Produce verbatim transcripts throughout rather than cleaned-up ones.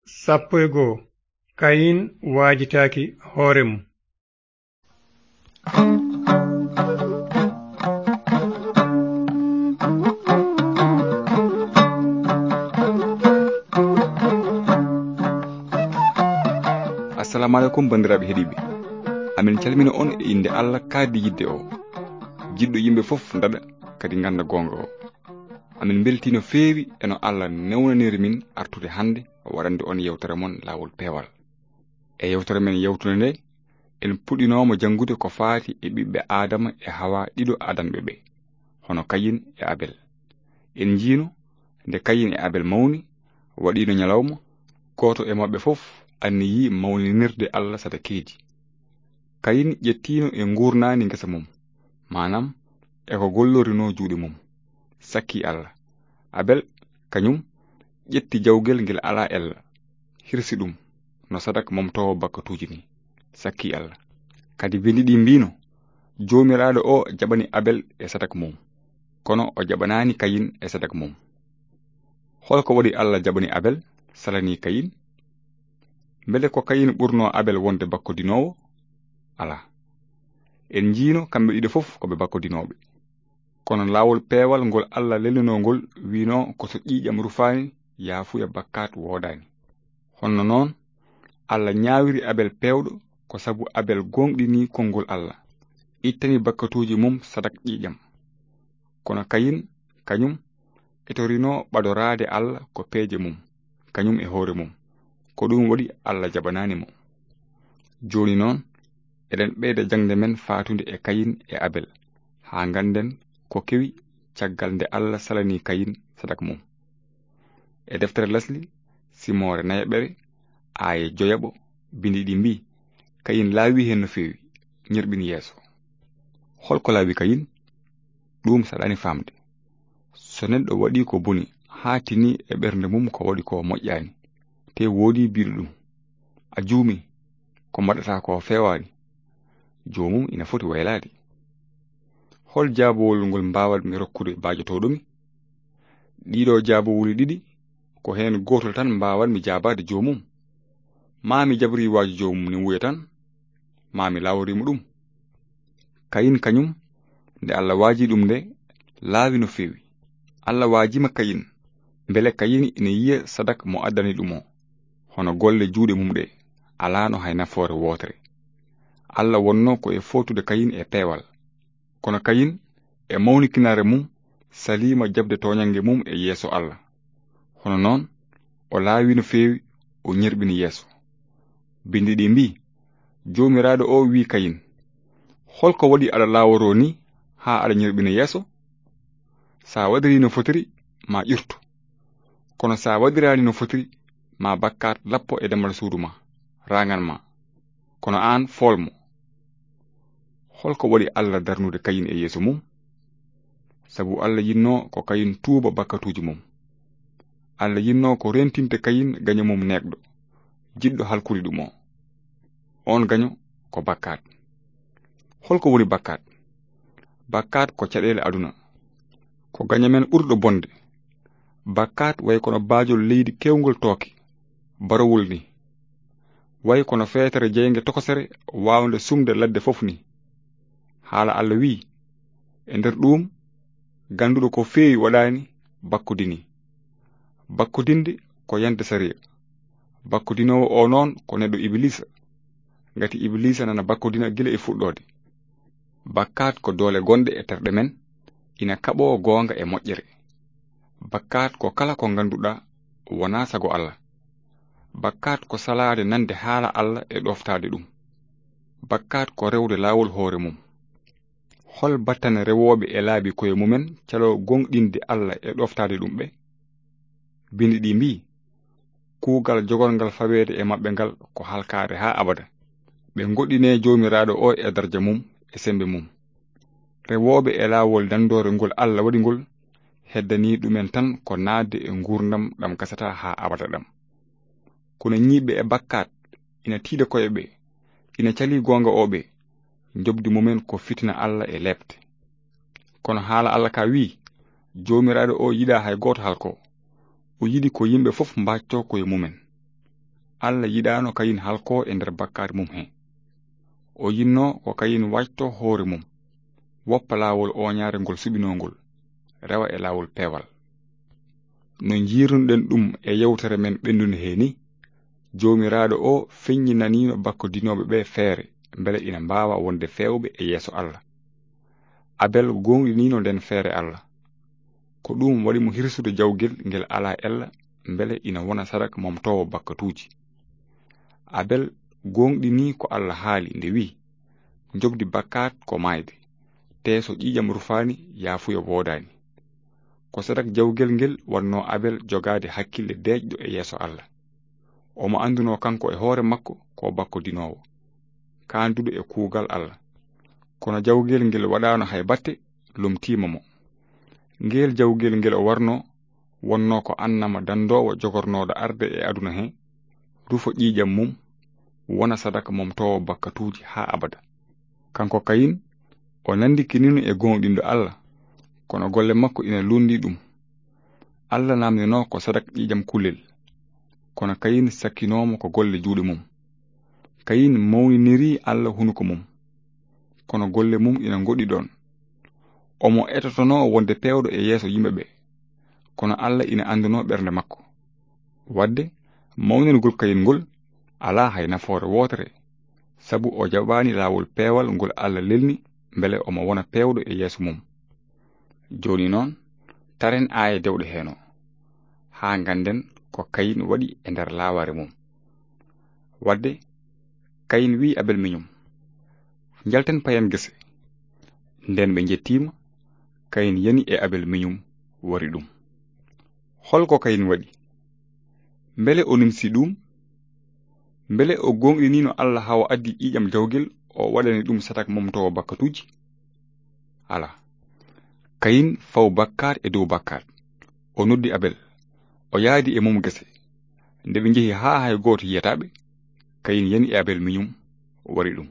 Sappo e goo. Kayin waajitaaki hoore mum. Assalamu aleykum, banndiraaɓe heɗiiɓe. Amin calmina on e innde Allah kaadi yidde o, jiɗɗo yimɓe fof daɗa kadi ngannda goonga o. Amin mbeltii no feewi e no Allah newnaniri min artude hannde o waɗande on yewtere mon Laawol Peewal. E yewtere men yawtunde nde, en puɗɗinooma janngude ko faati e ɓiɓɓe Aadama e Hawa ɗiɗo adanɓe ɓe, hono Kayin e Abel. En njiino nde Kayin e Abel mawni, waɗiino ñalawma, gooto e maɓɓe fof anniyii mawninirde Allah sadakeeji. Kayin ƴettiino e nguurnaani ngesa mum, maanaam e ko gollorinoo juuɗe mum, sakkii Allah. Abel, kañum, ƴetti jawgel ngel alaa ella, hirsi ɗum no sadak momtoowo bakkatuuji ni, sakkii Allah. Kadi binndi ɗi mbiino, Joomiraaɗo o jaɓani Abel e sadak mum, kono o jaɓanaani Kayin e sadak mum. Hol ko waɗi Allah jaɓani Abel, salanii Kayin? Mbele ko Kayin ɓurnoo Abel wonde bakkodinoowo? Alaa. En njiino kamɓe ɗiɗo fof ko ɓe bakkodinooɓe. Kono laawol peewal ngol Allah lelinoo ngol wiinoo ko so ƴiiƴam rufaani, yaafuya bakkaat woodaani. Honno noon, Allah ñaawiri Abel peewɗo ko sabu Abel gooŋɗinii konngol Allah, ittani bakkatuuji mum sadak ƴiiƴam. Kono Kayin, kañum, etorinoo ɓadoraade Allah ko peeje mum, kañum e hoore mum. Ko ɗum waɗi Allah jaɓanaani mo. Jooni noon, eɗen ɓeyda jaŋde men faatunde e Kayin e Abel, haa ngannden ko kewi caggal nde Allah salanii Kayin sadak mum. E deftere Lesli, simoore nayaɓere, aaye joyaɓo, binndi ɗi mbii, Kayin laawi heen no feewi, ñerɓini yeeso. Hol ko laawi Kayin? Ɗum saɗaani faamde. So neɗɗo waɗii ko boni, haa tinii e ɓernde mum ko waɗi ko moƴƴaani, te woodii biiɗo ɗum, a juumii, ko mbaɗataa ko feewaani, joomum ina foti waylaade. Hol jaabowol ngol mbaawatmi rokkude baajotooɗo mi? Ɗiɗo jaabowuli ɗiɗi, ko heen gootol tan mbaawatmi jaabaade joomum. Maa mi jabrii waaju joomum ni wuya tan, maa mi lawori mo ɗum. Kayin kañum, nde Allah waajii ɗum nde, laawi no feewi. Allah waajiima Kayin, mbele Kayin ina yiya sadak mo addani ɗum o, hono golle juuɗe mum ɗe, alaano hay nafoore wootere. Allah wonnoo ko e footude Kayin e peewal. Kono Kayin, e mawnikinaare mum, saliima jaɓde tooñannge mum e yeeso Allah. Hono noon, o laawi no feewi, o ñerɓini yeeso. Binndi ɗi mbii, Joomiraaɗo o wii Kayin, hol ko waɗi aɗa laaworoo ni haa aɗa ñerɓina yeeso? Sa waɗirii no fotiri, ma ƴurtu. Kono sa waɗiraani no fotiri, ma bakkaat lappo e damal suudu ma, raangan ma. Kono aan, fool mo. Hol ko waɗi Allah darnude Kayin e yeeso mum? Sabu Allah yinnoo ko Kayin tuuba bakkatuuji mum. Allah yinnoo ko rentinde Kayin gaño mum neeɓɗo, jiɗɗo halkude ɗum o. Oon gaño ko bakkaat. Hol ko woni bakkaat? Bakkaat ko caɗeele aduna. Ko gaño men ɓurɗo bonde. Bakkaat way kono baajol leydi keewngol tooke, barowol ni. Way kono feetere jeynge tokosere waawnde sumde ladde fof ni. Haala Allah wii, e nder ɗuum, gannduɗo ko feewi waɗaani bakkodini. Bakkodinde ko yande sariya. Bakkodinoowo o noon ko neɗɗo Ibiliisa. Ngati Ibiliisa nana bakkodina gila e fuɗɗoode. Bakkaat ko doole gonɗe e terɗe men, ina kaɓoo goonga e moƴƴere. Bakkaat ko kala ko ngannduɗaa wonaa sago Allah. Bakkaat ko salaade nande haala Allah e ɗoftaade ɗum. Bakkaat ko rewde laawol hoore mum. Hol battane rewooɓe e laabi koye mumen caloo gooŋɗinde Allah e ɗoftaade ɗum ɓe? Binndi ɗi mbii, kuugal jogorngal faweede e maɓɓe ngal ko halkaare haa abada. Ɓe ngoɗɗinee Joomiraaɗo o e darja mum e semmbe mum. Rewooɓe e laawol danndoore ngol Allah waɗi ngol, heddanii ɗumen tan ko naatde e nguurndam ɗam gasataa haa abada ɗam. Kono ñiiɓɓe e bakkaat ina tiiɗa koye ɓe, ina calii goonga o ɓe, njoɓdi mumen ko fitina Allah e leepte. Kono haala Allah ka wii, Joomiraaɗo o yiɗaa hay gooto halko. O yiɗi ko yimɓe fof mbaaccoo koye mumen. Allah yiɗaano Kayin halkoo e nder bakkaat mum he. O yinnoo ko Kayin waƴtoo hoore mum, woppa laawol ooñaare ngol suɓinoo ngol, rewa e laawol peewal. No njiirnuɗen ɗum e yewtere men ɓennunde he ni, Joomiraaɗo o feññinaniino bakkodinooɓe ɓe feere, mbele ina mbaawa wonde feewɓe e yeeso Allah. Abel gooŋɗiniino nden feere Allah. Ko ɗum waɗi mo hirsude jawgel ngel alaa ella, mbele ina wona sadak momtoowo bakkatuuji. Abel gooŋɗinii ko Allah haali nde wi'i, "Njoɓdi bakkaat ko maayde, tee so ƴiiƴam rufaani, yaafuya woodaani." Ko sadak jawgel ngel wannoo Abel jogaade hakkille deeƴɗo e yeeso Allah. Omo anndunoo kanko e hoore makko ko bakkodinoowo, kaanduɗo e kuugal Allah. Kono jawgel ngel waɗaano hay batte, lomtiima mo. Ngel jawgel ngel o warnoo, wonnoo ko annama danndoowo jogornooɗo arde e aduna he, rufo ƴiiƴam mum, wona sadaka momtoowo bakkatuuji haa abada. Kanko Kayin, o nanndikiniino e gooŋɗinɗo Allah, kono golle makko ina luundi ɗum. Allah naamndinoo ko sadak ƴiiƴam kulel, kono Kayin sakkinoo mo ko golle juuɗe mum. Kayin mawninirii Allah hunuko mum, kono golle mum ina ngoɗɗi ɗoon. Omo etotonoo wonde peewɗo e yeeso yimɓe ɓe, kono Allah ina anndunoo ɓernde makko. Waɗde, mawningol Kayin ngol alaa hay nafoore wootere, sabu o jaɓaani laawol peewal ngol Allah lelni mbele omo wona peewɗo e yeeso mum. Jooni noon, taren aaya dewɗe heen o, haa ngannden ko Kayin waɗi e nder laawaare mum. Waɗde, Kayin wi'i Abel miñum, "Njalten payen gese." Nden ɓe njettiima, Kayin yani e Abel miñum wari ɗum. Hol ko Kayin waɗi? Mbele o nimsi ɗum? Mbele o gooŋɗiniino Allah haa o addi ƴiiƴam jawgel o waɗani ɗum sadak momtoowo bakkatuuji? Alaa. Kayin faw bakkaat e dow bakkaat. O noddi Abel. O yaadi e mum gese. Nde ɓe njehi haa hay gooto yiyataa ɓe, Kayin yani e Abel miñum wari ɗum.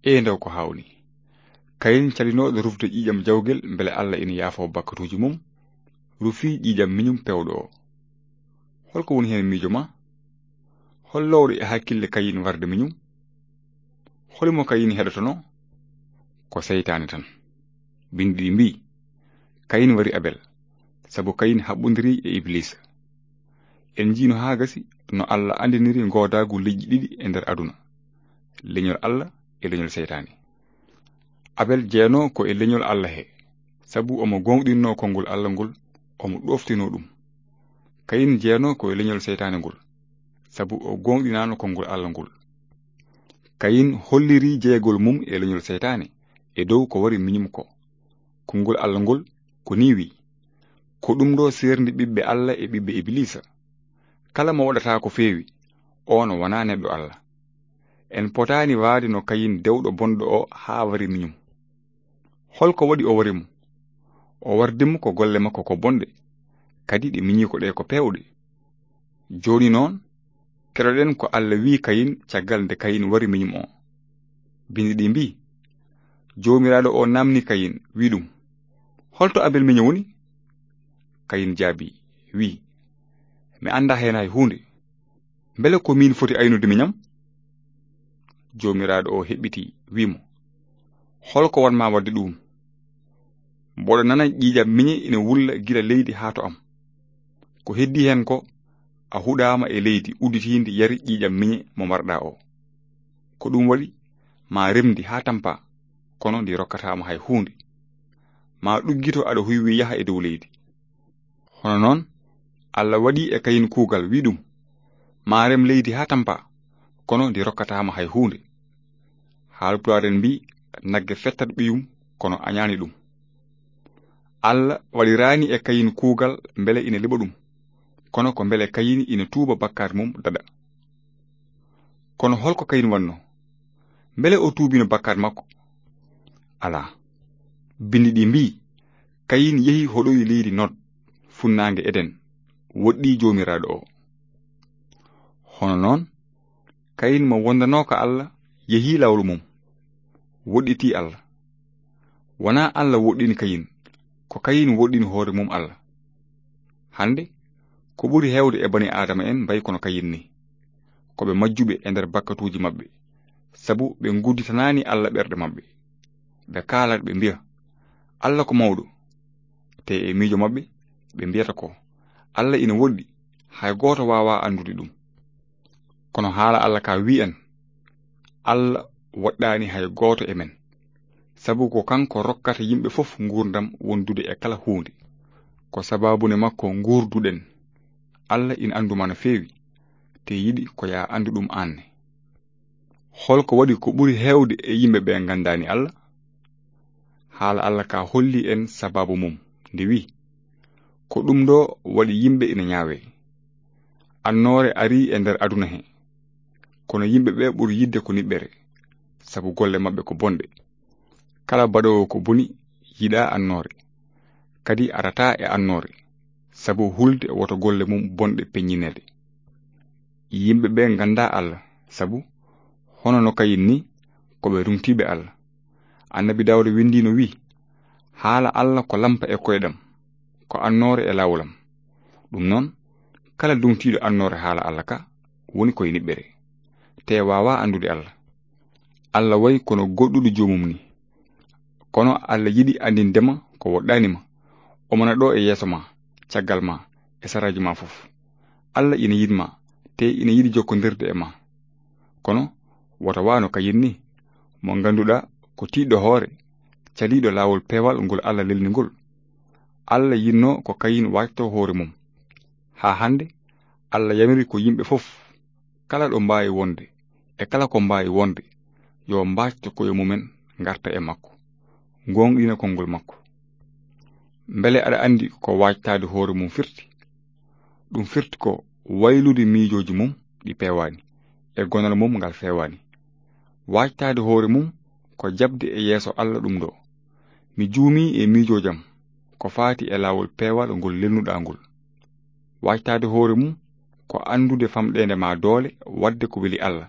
Ee ndaw ko haawnii. Kayin calinooɗo rufde ƴiiƴam jawgel mbele Allah ina yaafoo bakkatuuji mum, rufii ƴiiƴam miñum peewɗo o. Hol ko woni heen miijo ma? Hol loowɗo e hakkille Kayin warde miñum? Holi mo Kayin heɗotonoo? Ko seytaane tan. Binndi ɗi mbii, Kayin wari Abel, sabu Kayin haɓɓondirii e Ibiliisa. En njiino haa gasi no Allah anndiniri ngoodaagu leƴƴi ɗiɗi e nder aduna, leñol Allah e leñol seytaane. Abel jeenoo ko e leñol Allah he, sabu omo gooŋɗinnoo konngol Allah ngol, omo ɗooftinoo ɗum. Kayin jeenoo ko e leñol seytaane ngol, sabu o gooŋɗinaano konngol Allah ngol. Kayin hollirii jeeyagol mum e leñol seytaane e dow ko wari miñum ko. Konngol Allah ngol ko nii wi'i, "Ko ɗum ɗo seerndi ɓiɓɓe Allah e ɓiɓɓe Ibiliisa. Kala mo waɗata ko feewi, oon wonaa neɗɗo Allah." En potaani waade no Kayin dewɗo bonɗo o haa wari miñum. Hol ko waɗi o wari mo? O wardi mo ko golle makko ko bonɗe, kadi ɗe miñiiko ɗe ko peewɗe. Jooni noon, keɗoɗen ko Allah wi'i Kayin caggal nde Kayin wari miñum o. Binndi ɗi mbii, Joomiraaɗo o naamni Kayin, wi'i ɗum, "Holto Abel miño woni?" Kayin jaabii, wi'i, "Mi anndaa heen hay huunde. Mbele ko miin foti aynude miñam?" Joomiraaɗo o heɓɓitii, wi'i mo, "Hol ko waɗ ma waɗde ɗuum? Mboɗo nana ƴiiƴam miñe ina wulla gila leydi haa to am. Ko heddii heen ko, a huɗaama e leydi udditiindi yari ƴiiƴam miñe mo mbarɗaa o. Ko ɗum waɗi, ma remdi haa tampa, kono ndi rokkataa ma hay huunde. Ma ɗuggito aɗa huywi yaha e dow leydi." Hono noon, Allah waɗi e Kayin kuugal, wi'i ɗum, "Ma rem leydi haa tampa, kono ndi rokkataa ma hay huunde." Haalpulaar en mbii, "Nagge fettat ɓiyum, kono añaani ɗum." Allah waɗiraani e Kayin kuugal mbele ina liɓa ɗum, kono ko mbele Kayin ina tuuba bakkaat mum daɗa. Kono hol ko Kayin waɗno? Mbele o tuubino bakkaat makko? Alaa. Binndi ɗi mbii, Kayin yehi hoɗoyi leydi Nod, funnaange Eden, woɗɗii Joomiraaɗo o. Hono noon, Kayin mo wondanooka Allah yehi laawol mum, woɗɗitii Allah. Wonaa Allah woɗɗini Kayin, ko Kayin woɗɗini hoore mum Allah. Hannde, ko ɓuri heewde e bani Aadama en mbayi kono Kayin ni. ko ɓe majjuɓe e nder bakkatuuji maɓɓe, sabu ɓe ngudditanaani Alla ɓerɗe maɓɓe. Ɓe kaalat, ɓe mbiya, "Alla ko mawɗo." Te e miijo maɓɓe, ɓe mbiyata ko, "Alla ina woɗɗi, hay gooto waawaa anndude ɗum." Kono haala Alla ka wi'i en, Alla woɗɗaani hay gooto e men, sabu ko kanko rokkata yimɓe fof nguurndam wondude e kala huunde. Ko sabaabu ne makko nguurduɗen. Alla ina anndu ma no feewi, te yiɗi ko ya anndu ɗum aan ne. Hol ko waɗi ko ɓuri heewde e yimɓe ɓe nganndaani Alla? Haala Alla ka holli en sabaabu mum, nde wi'i, "Ko ɗum ɗo waɗi yimɓe ina ñaawe. Annoore arii e nder aduna he, kono yimɓe ɓe ɓuri yiɗde ko niɓɓere, sabu golle maɓɓe ko bonɗe. Kala baɗoowo ko boni yiɗaa annoore, kadi arataa e annoore, sabu hulde woto golle mum bonɗe peññineede." Yimɓe ɓe nganndaa Alla, sabu hono no Kayin ni, ko ɓe ruŋtiiɓe Alla. Annabi Daawda winndii no wi'i, "Haala Alla ko lampa e koyɗam, ko annoore e laawol am." Ɗum noon, kala duŋtiiɗo annoore haala Alla ka, woni koye niɓɓere, te waawaa anndude Alla. Alla wayi kono goɗɗuɗo joomum ni. Kono Alla yiɗi anndinde ma ko woɗɗaani ma. Omo na ɗo e yeeso ma, caggal ma, e saraaji ma fof. Alla ina yiɗi ma, te ina yiɗi jokkondirde e ma. Kono wota waano Kayin ni, mo ngannduɗaa ko tiiɗɗo hoore, caliiɗo laawol peewal ngol Alla lelni ngol. Alla yiɗno ko Kayin waajto hoore mum. Haa hannde, Alla yamiri ko yimɓe fof, kala ɗo mbaawi wonde, e kala ko mbaawi wonde, yo mbaajto koye mumen ngarta e makko, ngoongɗina konngol makko. Mbele aɗa anndi ko waajtaade hoore mum firti? Ɗum firti ko waylude miijooji mum ɗi peewaani, e gonal mum ngal feewaani. Waajtaade hoore mum ko jaɓde e yeeso Alla ɗum ɗo, "Mi juumii e miijoojam ko faati e laawol peewal ngol lelnuɗaa ngol." Waajtaade hoore mum ko anndude famɗeende ma doole waɗde ko weli Alla,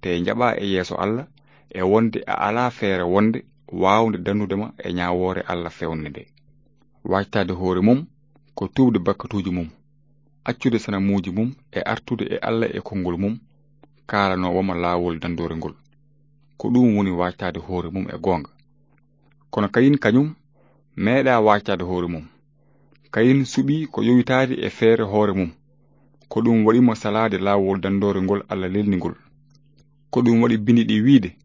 te njaɓaa e yeeso Alla e wonde a alaa feere wonde waawnde dandude ma e ñaawoore Alla feewnde nde. Waajtaade hoore mum ko tuubde bakkatuuji mum, accude sanamuuji mum e artude e Alla e konngol mum kaalanoowo ma laawol dandoore ngol. Ko ɗum woni waajtaade hoore mum e goonga. Kono Kayin kañum meeɗaa waajtaade hoore mum. Kayin suɓii ko yowitaade e feere hoore mum. Ko ɗum waɗi mo salaade laawol dandoore ngol Alla lelni ngol. Ko ɗum waɗi bindi ɗi wiide,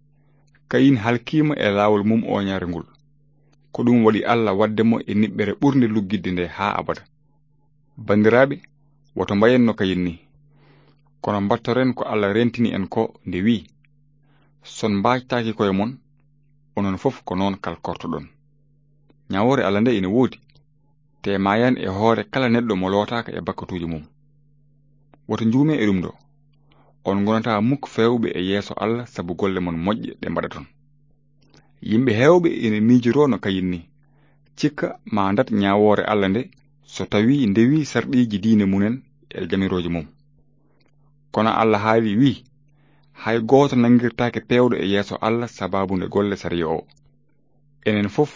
"Kayin halkiima e laawol mum ooñaare ngol." Ko ɗum waɗi Alla waɗde mo e niɓɓere ɓurnde luggitde nde haa abada. Banndiraaɓe, woto mbayen no Kayin ni, kono mbattoren ko Alla rentini en ko nde wi'i, "Son mbaajtaaki koye mon, onon fof ko noon kalkortoɗon." Ñaawoore Alla nde ina woodi, te maayan e hoore kala neɗɗo mo lootaaka e bakkatuuji mum. Woto njuume e ɗum ɗo, on ngonataa muk feewɓe e yeeso Alla sabu golle mon moƴƴe ɗe mbaɗaton. Yimɓe heewɓe ina miijoroo no Kayin ni, cikka ma ndat ñaawoore Alla nde so tawii ndewii sarɗiiji diine mumen e jamirooje mum. Kono Alla haali wi'i, "Hay gooto nanngirtaake peewɗo e yeeso Alla sabaabu nde golle sariya o." Enen fof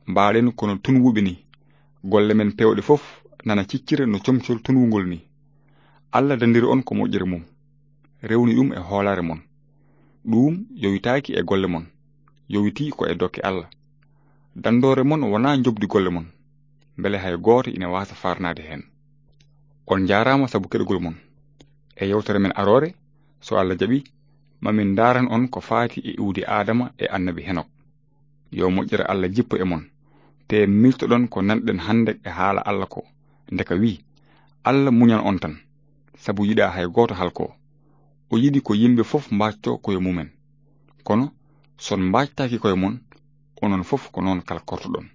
mbaaɗen kono tunwuɓe ni. Golle men peewɗe fof nana ciccira no comcol tunwungol ni. Alla dandiri on ko moƴƴere mum, rewni ɗum e hoolaare mon. Ɗum yowitaaki e golle mon, yowitii ko e dokke Alla. Dandoore mon wonaa njoɓdi golle mon, mbele hay gooto ina waasa farnaade heen. On njaaraama sabu keɗogol mon. E yewtere men aroore, so Alla jaɓi, ma min ndaaran on ko faati e iwdi Aadama e annabi Henok. Yo moƴƴere Alla jippo e mon, te miiltoɗon ko nanɗen hannde e haala Alla ko, nde ka wi'i, "Alla muñan on tan, sabu yiɗaa hay gooto halko. O yiɗi ko yimɓe fof mbaajto koye mumen. Kono son mbaajtaaki koye mon, onon fof ko noon kalkortoɗon."